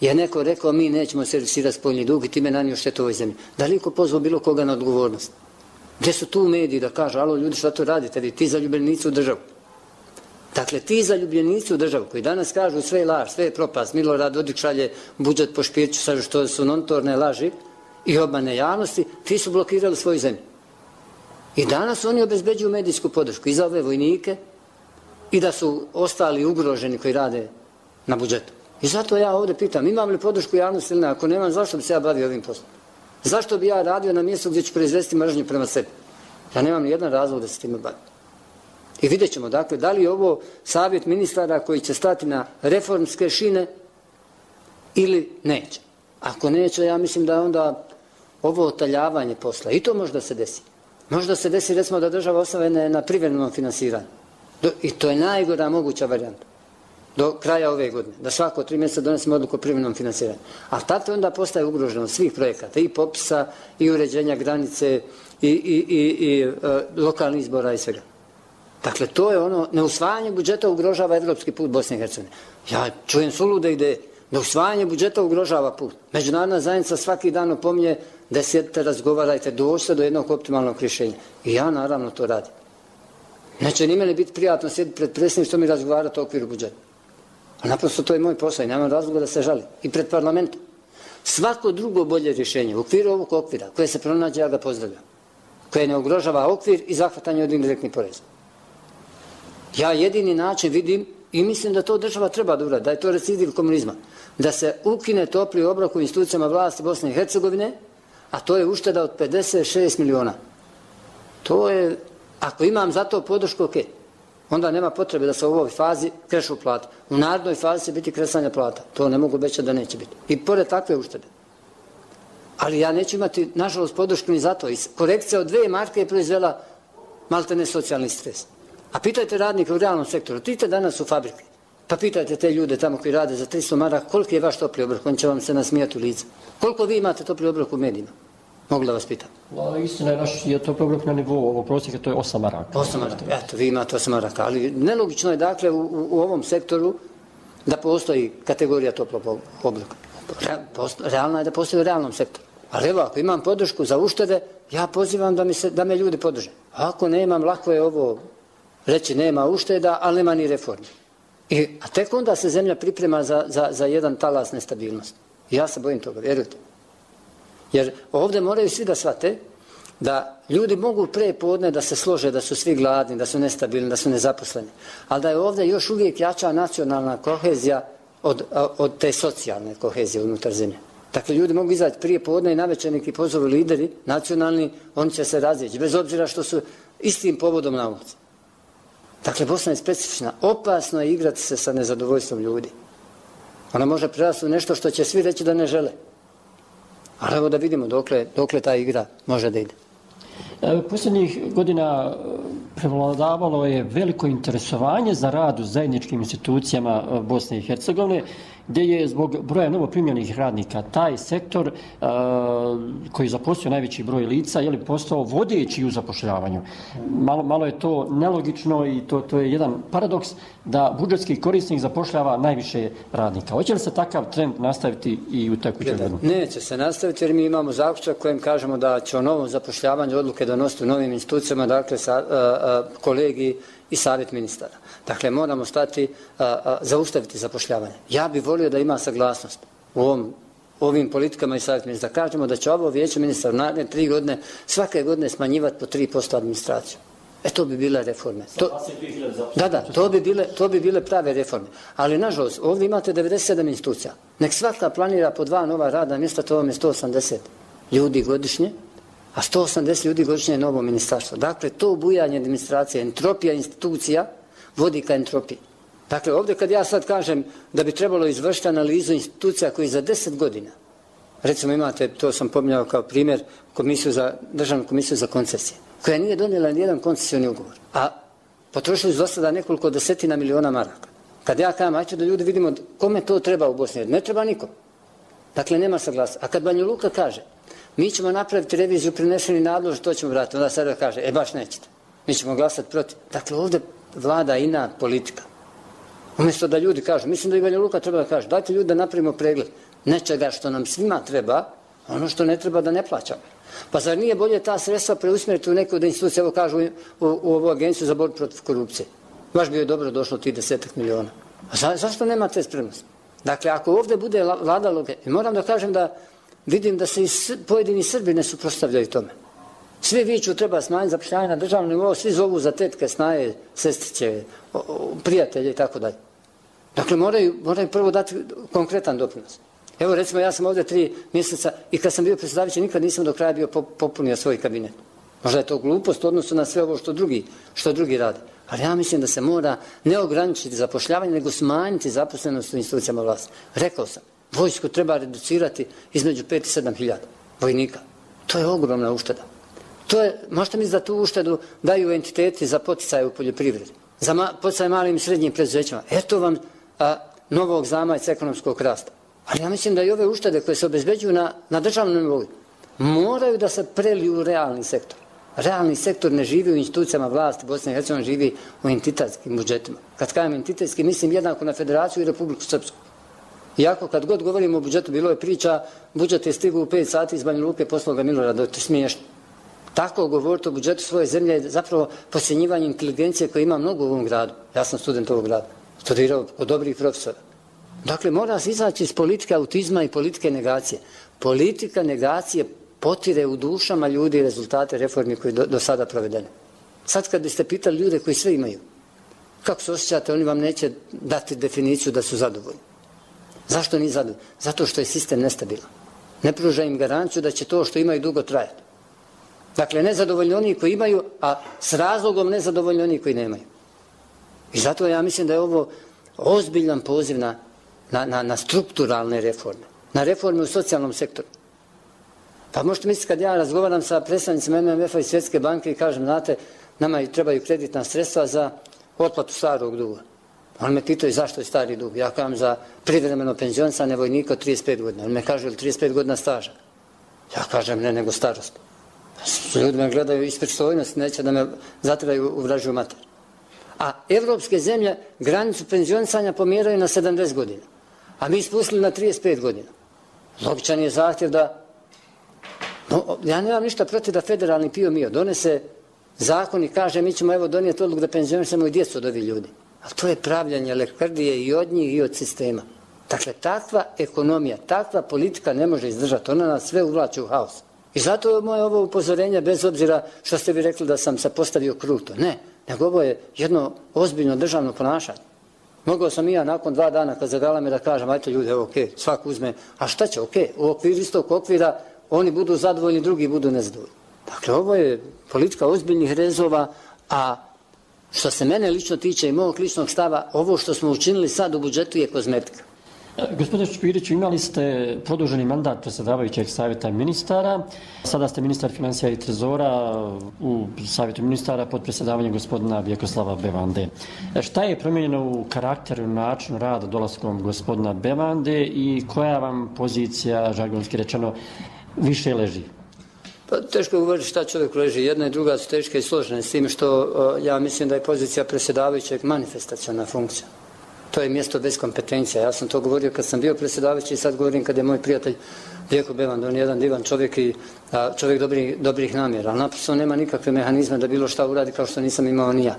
je neko rekao mi nećemo servisirati spoljni dug i time nanio štetu ovoj zemlji. Da li ko pozvao bilo koga na odgovornost? Gdje su tu mediji da kažu, alo ljudi šta to radite, vi ti zaljubljenici u državu. Dakle, ti zaljubljenici u državu koji danas kažu sve je laž, sve je propast, Milorad Dodik šalje budžet po Špiriću, sad što su notorne laži i obmane javnosti, ti su blokirali svoju zemlju. I danas oni obezbeđuju medijsku podršku i za ove vojnike i da su ostali ugroženi koji rade na budžetu. I zato ja ovdje pitam, imam li podršku javnosti ili ne? Ako nemam, zašto bi se ja bavio ovim poslom? Zašto bi ja radio na mjestu gdje ću proizvesti mržnju prema sebi? Ja nemam ni jedan razlog da se time bavim. I vidjet ćemo, dakle, da li je ovo savjet ministara koji će stati na reformske šine ili neće. Ako neće, ja mislim da onda ovo otaljavanje posla, i to možda se desi. Možda se desi, recimo, da država ostane na privremenom finansiranju. I to je najgora moguća varijanta. Do kraja ove godine, da svako 3 mjeseca donesemo odluku o privremenom finansiranju. A tada onda postaje ugroženo svih projekata, i popisa, i uređenja granice, i lokalnih izbora i svega. Dakle, to je ono, neusvajanje budžeta ugrožava evropski put Bosne i Hercegovine. Ja čujem sulude ideje, neusvajanje budžeta ugrožava put. Međunarodna zajednica svaki dan opominje da sjedite, razgovarajte, dođite do jednog optimalnog rješenja. I ja naravno to radim. Neće ni meni biti prijatno sjediti pred predsjedništvom i razgovarati o okviru budžeta. A naprosto to je moj posao i nemam razloga da se žalim. I pred parlamentom. Svako drugo bolje rješenje u okviru ovog okvira koje se pronađe, ja ga pozdravljam. koje ne ugrožava okvir i zahvatanje od indirektnih poreza. Ja jedini način vidim i mislim da to država treba da uradi, da je to recidiv komunizma, da se ukine topli obrok u institucijama vlasti Bosne i Hercegovine, a to je ušteda od 56 miliona. To je, ako imam za to podršku, ok, onda nema potrebe da se u ovoj fazi krešu plate. U narednoj fazi će biti kresanja plata. To ne mogu obećati da neće biti. I pored takve uštede. Ali ja neću imati, nažalost, podršku ni za to. I korekcija od 2 marke je proizvela maltene socijalni stres. A pitajte radnike u realnom sektoru, idite danas u fabrike, pa pitajte te ljude tamo koji rade za 300 maraka, koliki je vaš topli obrok, on će vam se nasmijati u lice. Koliko vi imate topli obrok u medijima? Mogu da vas pitam. Istina je naš je topli obrok na nivou ovog prosjeka, to je 8 maraka. 8 maraka, eto, vi imate 8 maraka, ali nelogično je dakle u ovom sektoru da postoji kategorija toplog obroka. Realna je da postoji u realnom sektoru. Ali evo, ako imam podršku za uštede, ja pozivam da me ljudi podrže. Ako nemam, lako je ovo reći nema ušteda, ali nema ni reforme. A tek onda se zemlja priprema za jedan talas nestabilnosti. Ja se bojim toga, vjerujte. Jer ovdje moraju svi da shvate da ljudi mogu pre podne da se slože, da su svi gladni, da su nestabilni, da su nezaposleni. Ali da je ovdje još uvijek jača nacionalna kohezija od te socijalne kohezije unutar zemlje. Dakle, ljudi mogu izaći prije podne i navečer neki pozoru lideri, nacionalni, oni će se razjeći, bez obzira što su istim povodom na ulici. Dakle, Bosna je specifična. Opasno je igrati se sa nezadovoljstvom ljudi. Ona može prerasti u nešto što će svi reći da ne žele. Ali evo da vidimo dokle ta igra može da ide. Posljednjih godina prevladavalo je veliko interesovanje za rad u zajedničkim institucijama Bosne i Hercegovine, gdje je zbog broja novoprimljenih radnika taj sektor koji zaposlio najveći broj lica postao vodeći u zapošljavanju. Malo je to nelogično i to je jedan paradoks da budžetski korisnik zapošljava najviše radnika. Hoće li se takav trend nastaviti i u tekućoj godini? Neće se nastaviti jer mi imamo zaključak kojem kažemo da će o novom zapošljavanju odluke donositi u novim institucijama, dakle kolegiji i savjet ministara. Dakle, moramo zaustaviti zapošljavanje. Ja bih volio da ima saglasnost u ovim politikama i savjet ministara. Kažemo da će ovo vijeće ministara naredne 3 godine svake godine smanjivati po 3% administraciju. To bi bile reforme. To bi bile prave reforme. Ali, nažalost, ovdje imate 97 institucija. Nek svaka planira po 2 nova radna mjesta, to vam je 180 ljudi godišnje, a 180 ljudi godišnje je novo ministarstvo. Dakle, to bujanje administracije, entropija institucija vodi ka entropiji. Dakle, ovdje kad ja sad kažem da bi trebalo izvršiti analizu institucija koji za 10 godina, recimo imate, to sam pominjao kao primjer, Državnu komisiju za koncesije, koja nije donijela nijedan koncesioni ugovor, a potrošili su do sada nekoliko desetina miliona maraka. Kad ja kažem, ajte da ljudi vidimo kome to treba u Bosni, ne treba nikom. Dakle, nema saglasnosti. A kad Banja Luka kaže, mi ćemo napraviti reviziju prineseni nadlož, to ćemo vratiti, onda sada kaže, baš nećete. Mi ćemo glasati protiv. Dakle, ovdje vlada inat politika. Umjesto da ljudi kažu, mislim da i Banja Luka treba da kaže, dajte ljudi da napravimo pregled nečega što nam svima treba, ono što ne treba da ne plaćamo. Pa zar nije bolje ta sredstva preusmjeriti u neku od institucija, evo kažu u ovu agenciju za borbu protiv korupcije. Baš bi joj dobro došlo tih 10 miliona. A zašto nema te spremnosti? Dakle, ako ovdje bude vladalo, moram da kažem da vidim da se i pojedini Srbi ne suprotstavljaju tome. Svi viču treba smanjiti zapošljavanje na državnom nivou, svi zovu za tetke, snaje, sestriće, prijatelje i tako dalje. Dakle, moraju prvo dati konkretan doprinos. Evo, recimo, ja sam ovdje 3 mjeseca i kad sam bio predsjedavajući, nikad nisam do kraja bio popunio svoj kabinet. Možda je to glupost u odnosu na sve ovo što drugi rade. Ali ja mislim da se mora ne ograničiti zapošljavanje, nego smanjiti zaposlenost u institucijama vlasti. Rekao sam, vojsku treba reducirati između 5 i 7 hiljada vojnika. To je ogromna ušteda. Možete misliti da tu uštedu daju entiteti za poticaje u poljoprivredi, za poticaje malim i srednjim preduzećima. Eto vam novog zamajca ekonomskog rasta. Ali ja mislim da i ove uštede koje se obezbeđuju na državnom nivou moraju da se preliju u realni sektor. Realni sektor ne živi u institucijama vlasti, Bosna i Hercegovina živi u entitetskim budžetima. Kad kažem entitetski, mislim jednako na Federaciju i Republiku Srpsku. Iako kad god govorimo o budžetu, bilo je priča, budžet je stigao u 5 sati iz Banja Luke, poslao ga Milorada, to je smiješno. Tako govoriti o budžetu svoje zemlje je zapravo podcjenjivanje inteligencije koje ima mnogo u ovom gradu. Ja sam student ovog grada, studirao kod dobrih profesora. Dakle, mora se izaći iz politike autizma i politike negacije. Politika negacije potire u dušama ljudi rezultate reformi koje do sada provedene. Sad kad biste pitali ljude koji sve imaju, kako se osjećate, oni vam neće dati definiciju da su zadovoljni. Zašto nisu zadovoljni? Zato što je sistem nestabilan. Ne pruža im garanciju da će to što imaju dugo trajati. Dakle, nezadovoljni oni koji imaju, a s razlogom nezadovoljni oni koji nemaju. I zato ja mislim da je ovo ozbiljan poziv na strukturalne reforme, na reforme u socijalnom sektoru. Pa možete misliti kad ja razgovaram sa predstavnicima MMF-a i Svjetske banke i kažem, znate, nama trebaju kreditna sredstva za otplatu starog duga. Oni me pitaju zašto je stari dug. Ja kažem za privremeno penzionisanje vojnika od 35 godina. Oni me kažu, ili 35 godina staža? Ja kažem, ne, nego starost. Ljudi me gledaju iz pristojnosti, neće da me zatraju u vražju mater. A evropske zemlje granicu penzionisanja pomjeraju na 70 godina. A mi spustili na 35 godina. Logičan je zahtjev da... Ja nemam ništa protiv da federalni PIO donese zakon i kaže mi ćemo evo donijeti odluku da penzionišemo i djecu od ovih ljudi. Ali to je pravljanje lekrdije i od njih i od sistema. Dakle, takva ekonomija, takva politika ne može izdržati. Ona nas sve uvlači u haos. I zato je moje ovo upozorenje, bez obzira što ste vi rekli da sam se postavio kruto. Ne, nego ovo je jedno ozbiljno državno ponašanje. Mogao sam i ja nakon 2 dana kad zagalame da kažem, ajte ljudi, evo okej, svak uzme, a šta će, okej, u okviru istog okvira oni budu zadovoljni, drugi budu nezadovoljni. Dakle, ovo je politika ozbiljnih rezova, a što se mene lično tiče i mog ličnog stava, ovo što smo učinili sad u budžetu je kozmetika. Gospodine Špiriću, imali ste produženi mandat predsjedavajućeg savjeta ministara. Sada ste ministar financija i trezora u savjetu ministara pod predsjedavanjem gospodina Vjekoslava Bevande. Šta je promijenjeno u karakteru, načinu rada dolaskom gospodina Bevande i koja vam pozicija, žargonski rečeno, više leži? Pa teško je govoriti šta čovjek leži. Jedna i druga su teške i složene s tim što ja mislim da je pozicija predsjedavajućeg manifestaciona funkcija. To je mjesto bez kompetencija. Ja sam to govorio kad sam bio predsjedavajući i sad govorim kad je moj prijatelj Vjeko Bevanda. On je jedan divan čovjek i čovjek dobrih namjera. Ali naprosto nema nikakve mehanizme da bilo šta uradi kao što nisam imao ni ja.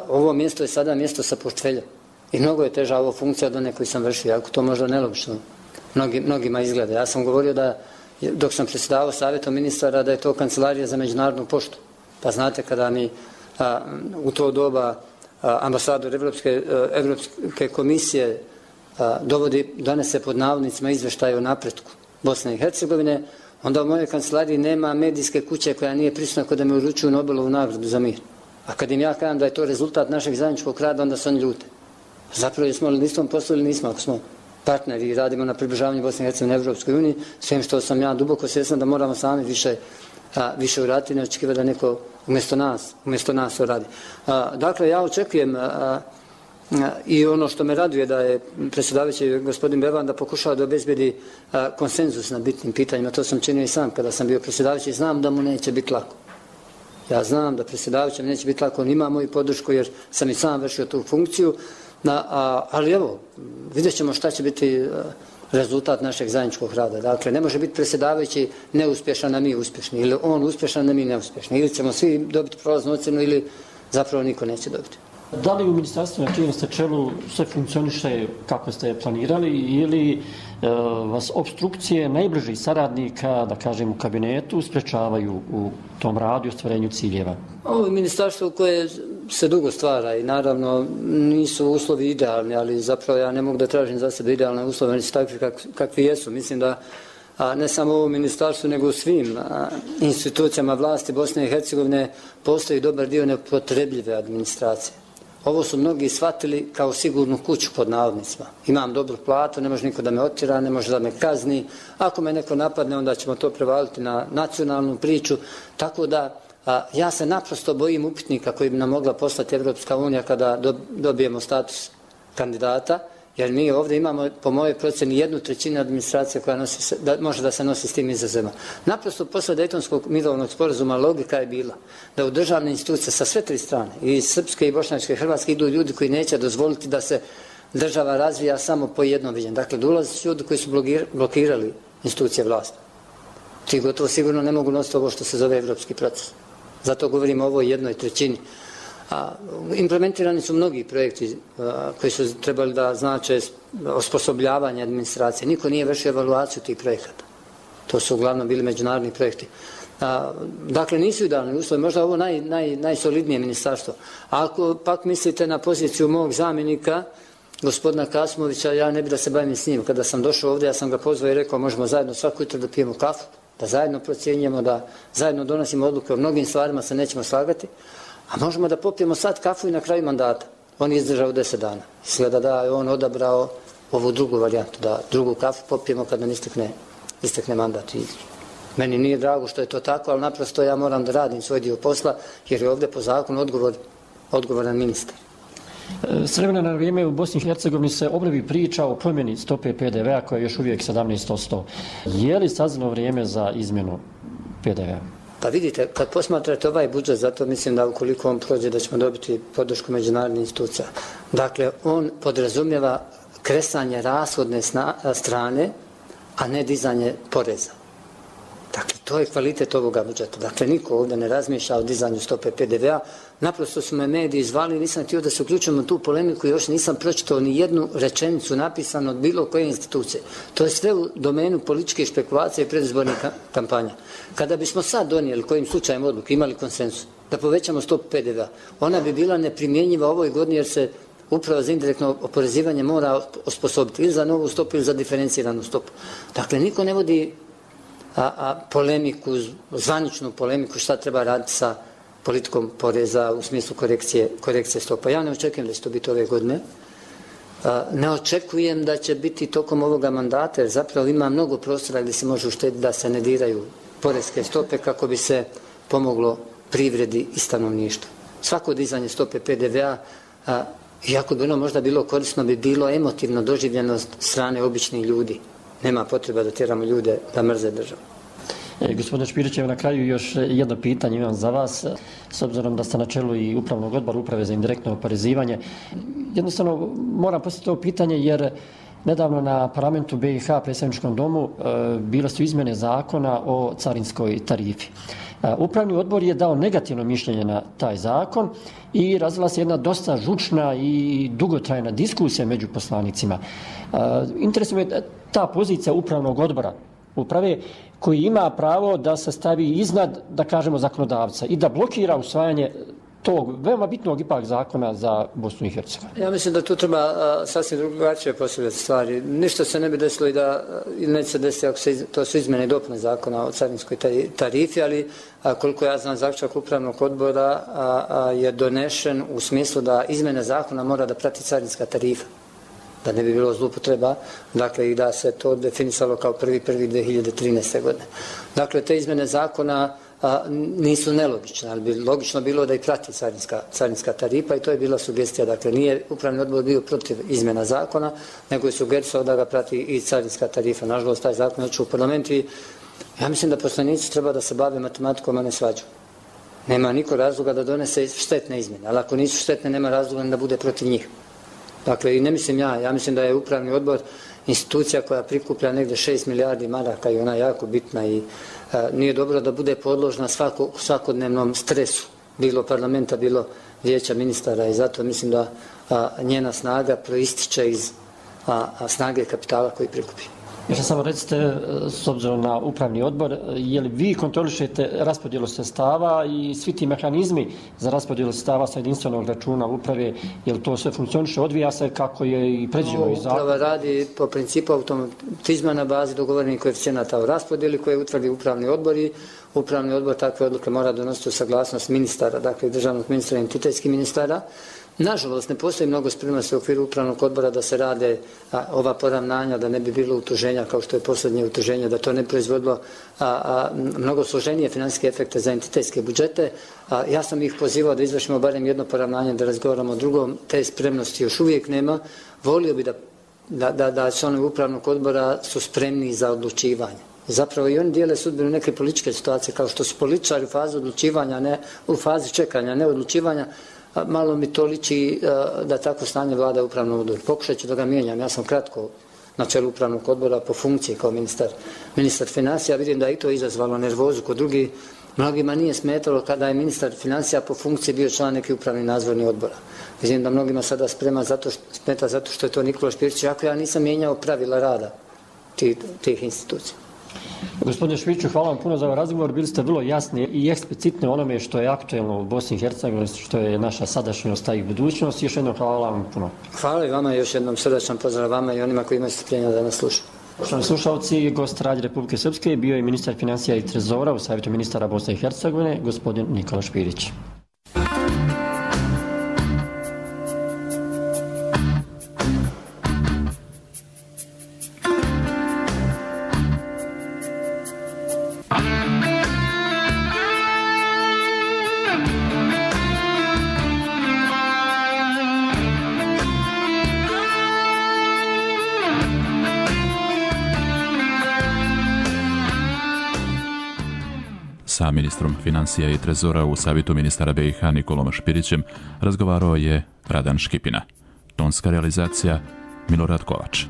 Ovo mjesto je sada mjesto sa portfeljem. I mnogo je teža ovo funkcija od one koju sam vršio. Ako to možda nelogično mnogima izgleda. Ja sam govorio da dok sam predsjedavao savjetom ministara da je to kancelarija za međunarodnu poštu. Pa znate kada mi u to doba ambasador Evropske komisije donese pod navodnicima izveštaje o napretku Bosne i Hercegovine, onda u mojoj kancelariji nema medijske kuće koja nije prisutna kod da me uručuju Nobelovu nagradu za mir. A kad im ja kažem da je to rezultat našeg zajedničkog rada, onda se oni ljute. Zapravo jesmo li nismo poslu ili nismo, ako smo partneri i radimo na približavanju Bosne i Hercegovine Evropskoj uniji, svim što sam ja duboko svjestan da moramo sami više uraditi, ne očekivati da neko umjesto nas to radi. Dakle, ja očekujem i ono što me raduje da je predsjedavajući gospodin Bevanda pokušao da obezbedi konsenzus na bitnim pitanjima. To sam činio i sam kada sam bio predsjedavajući. Znam da mu neće biti lako. Ja znam da predsjedavajućem neće biti lako. On ima moju podršku jer sam i sam vršio tu funkciju. Ali evo, vidjet ćemo šta će biti rezultat našeg zajedničkog rada. Dakle, ne može biti predsjedavajući neuspješan, a mi uspješni. Ili on uspješan, a mi neuspješni. Ili ćemo svi dobiti prolaznu ocjenu ili zapravo niko neće dobiti. Da li u ministarstvu na čijem ste čelu sve funkcioniše kako ste planirali ili vas obstrukcije najbližih saradnika, da kažem u kabinetu, sprečavaju u tom radu i ostvarenju ciljeva? Ovo je ministarstvo koje se dugo stvara i naravno nisu uslovi idealni, ali zapravo ja ne mogu da tražim za sebe idealne uslove, oni su takvi kakvi jesu. Mislim da ne samo u ovom ministarstvu, nego u svim institucijama vlasti Bosne i Hercegovine postoji dobar dio nepotrebljive administracije. Ovo su mnogi shvatili kao sigurnu kuću pod navodnicima. Imam dobru platu, ne može niko da me otjera, ne može da me kazni. Ako me neko napadne, onda ćemo to prevaliti na nacionalnu priču. Tako da ja se naprosto bojim upitnika koji bi nam mogla poslati Evropska unija kada dobijemo status kandidata, jer mi ovdje imamo, po mojoj procjeni, 1/3 administracije koja može da se nosi s tim izazovima. Naprosto posle Dejtonskog mirovnog sporazuma logika je bila da u državne institucije sa sve 3 strane, i srpske, i bošnjačke, i hrvatske, idu ljudi koji neće dozvoliti da se država razvija samo po jednom viđenju. Dakle, dolaze ljudi koji su blokirali institucije vlasti. Ti gotovo sigurno ne mogu nositi ovo što se zove evropski proces. Zato govorimo o ovoj 1/3. Implementirani su mnogi projekti koji su trebali da znače osposobljavanje administracije. Niko nije vršio evaluaciju tih projekata. To su uglavnom bili međunarodni projekti. Dakle, nisu idealni uslovi, možda ovo najsolidnije ministarstvo. Ako pak mislite na poziciju mog zamjenika, gospodina Kasimovića, ja ne bi da se bavim s njim. Kada sam došao ovdje, ja sam ga pozvao i rekao možemo zajedno svako jutro da pijemo kafu, da zajedno procjenjujemo, da zajedno donosimo odluke, o mnogim stvarima se nećemo slagati, a možemo da popijemo sad kafu i na kraju mandata. On je izdržao 10 dana. Izgleda da je on odabrao ovu drugu varijantu, da drugu kafu popijemo kad nam istekne mandat. I meni nije drago što je to tako, ali naprosto ja moram da radim svoj dio posla, jer je ovdje po zakonu odgovoran ministar. S vremena na vrijeme u Bosni i Hercegovini se obnovi priča o promjeni stope PDV-a koja je još uvijek 17%. Je li sazrelo vrijeme za izmjenu PDV-a? Pa vidite, kad posmatrate ovaj budžet, zato mislim da ukoliko on prođe da ćemo dobiti podršku međunarodnih institucija. Dakle, on podrazumijeva kresanje rashodne strane, a ne dizanje poreza. Dakle, to je kvalitet ovoga budžeta. Dakle, niko ovdje ne razmišlja o dizanju stope PDV-a. Naprosto su me mediji zvali, nisam htio da se uključujem u tu polemiku i još nisam pročitao ni jednu rečenicu napisanu od bilo koje institucije. To je sve u domenu političke špekulacije i predizbornih kampanja. Kada bismo sad donijeli kojim slučajem odluku, imali konsensus, da povećamo stopu PDV-a, ona bi bila neprimjenjiva ovoj godini jer se upravo za indirektno oporezivanje mora osposobiti ili za novu stopu ili za diferenciranu stopu. Dakle, niko ne vodi polemiku, zvaničnu polemiku šta treba raditi sa politikom poreza u smislu korekcije stopa. Ja ne očekujem da će to biti ove godine. Ne očekujem da će biti tokom ovoga mandata, jer zapravo ima mnogo prostora gdje se može uštediti da se ne diraju porezke stope kako bi se pomoglo privredi i stanovništvu. Svako dizanje stope PDV-a, iako bi ono možda bilo korisno, bi bilo emotivno doživljeno od strane običnih ljudi. Nema potreba da tjeramo ljude da mrze državu. Gospodine Špirić, na kraju još jedno pitanje imam za vas. S obzirom da ste na čelu i upravnog odbora Uprave za indirektno oporezivanje, jednostavno moram postaviti to pitanje jer nedavno na parlamentu BiH, predsjedničkom domu, bile su izmjene zakona o carinskoj tarifi. Upravni odbor je dao negativno mišljenje na taj zakon i razvila se jedna dosta žučna i dugotrajna diskusija među poslanicima. Interesuje me ta pozicija upravnog odbora uprave koji ima pravo da se stavi iznad, da kažemo, zakonodavca i da blokira usvajanje tog veoma bitnog ipak zakona za Bosnu i Hercegovinu. Ja mislim da tu treba sasvim drugačije postavljati stvari. Ništa se ne bi desilo i da neće se desiti ako to su izmjene i dopune zakona o carinskoj tarifi, ali koliko ja znam zaključak upravnog odbora je donešen u smislu da izmjene zakona mora da prati carinska tarifa, da ne bi bilo zloupotreba, dakle i da se to definisalo kao 1.1.2013. godine. Dakle, te izmjene zakona nisu nelogične, ali bi logično bilo da i prati carinska tarifa i to je bila sugestija. Dakle, nije upravni odbor bio protiv izmjena zakona, nego je sugerisao da ga prati i carinska tarifa. Nažalost, taj zakon je u parlamentu i ja mislim da poslanici treba da se bave matematikom, a ne svađom. Nema niko razloga da donese štetne izmjene, ali ako nisu štetne, nema razloga da bude protiv njih. Dakle, i ne mislim ja mislim da je upravni odbor institucija koja prikuplja negdje 6 milijardi maraka i ona je jako bitna i nije dobro da bude podložna svakodnevnom stresu, bilo parlamenta, bilo vijeća ministara i zato mislim da njena snaga proističe iz snage kapitala koji prikupi. Još samo recite, s obzirom na upravni odbor, je li vi kontrolišete raspodjelu sredstava i svi ti mehanizmi za raspodjelu sredstava sa jedinstvenog računa uprave, je li to sve funkcioniše, odvija se kako je i predviđeno iz zakona? Uprava radi po principu automatizma na bazi dogovorenih koeficijenata o raspodjeli koje utvrdi upravni odbor i upravni odbor takve odluke mora donositi u saglasnost ministara, dakle državnog ministra i entitetskih ministara. Nažalost, ne postoji mnogo spremnosti u okviru upravnog odbora da se rade ova poravnanja, da ne bi bilo utuženja kao što je posljednje utuženje, da to ne proizvodilo mnogo složenije finansijske efekte za entitetske budžete. Ja sam ih pozivao da izvršimo barem jedno poravnanje, da razgovaramo o drugom. Te spremnosti još uvijek nema. Volio bi da članovi upravnog odbora su spremni za odlučivanje. Zapravo i oni dijele sudbinu neke političke situacije, kao što su političari u fazi odlučivanja, ne u fazi čekanja, ne odlučivanja. Malo mi to liči da tako stanje vlada upravnog odbora. Pokušat ću da ga mijenjam. Ja sam kratko na čelu upravnog odbora po funkciji kao ministar financija. Vidim da je i to izazvalo nervozu kod drugih. Mnogima nije smetalo kada je ministar financija po funkciji bio član neki upravni nadzorni odbora. Vidim da mnogima sada smeta zato što je to Nikola Špirić, ako ja nisam mijenjao pravila rada tih institucija. Gospodine Špiću, hvala vam puno za ovaj razgovor. Bili ste vrlo jasni i eksplicitni onome što je aktuelno u Bosni i Hercegovini, što je naša sadašnjost i budućnost. Još jednom hvala vam puno. Hvala i vama, još jednom srdačan pozdrav vama i onima koji imaju strpljenja da nas slušaju. Poštovani slušalci, gost Radije Republike Srpske bio je ministar financija i trezora u Savjetu ministara Bosne i Hercegovine, gospodin Nikola Špirić. Sa ministrom financija i trezora u Savjetu ministara BiH Nikolom Špirićem razgovarao je Radan Škipina. Tonska realizacija Milorad Kovač.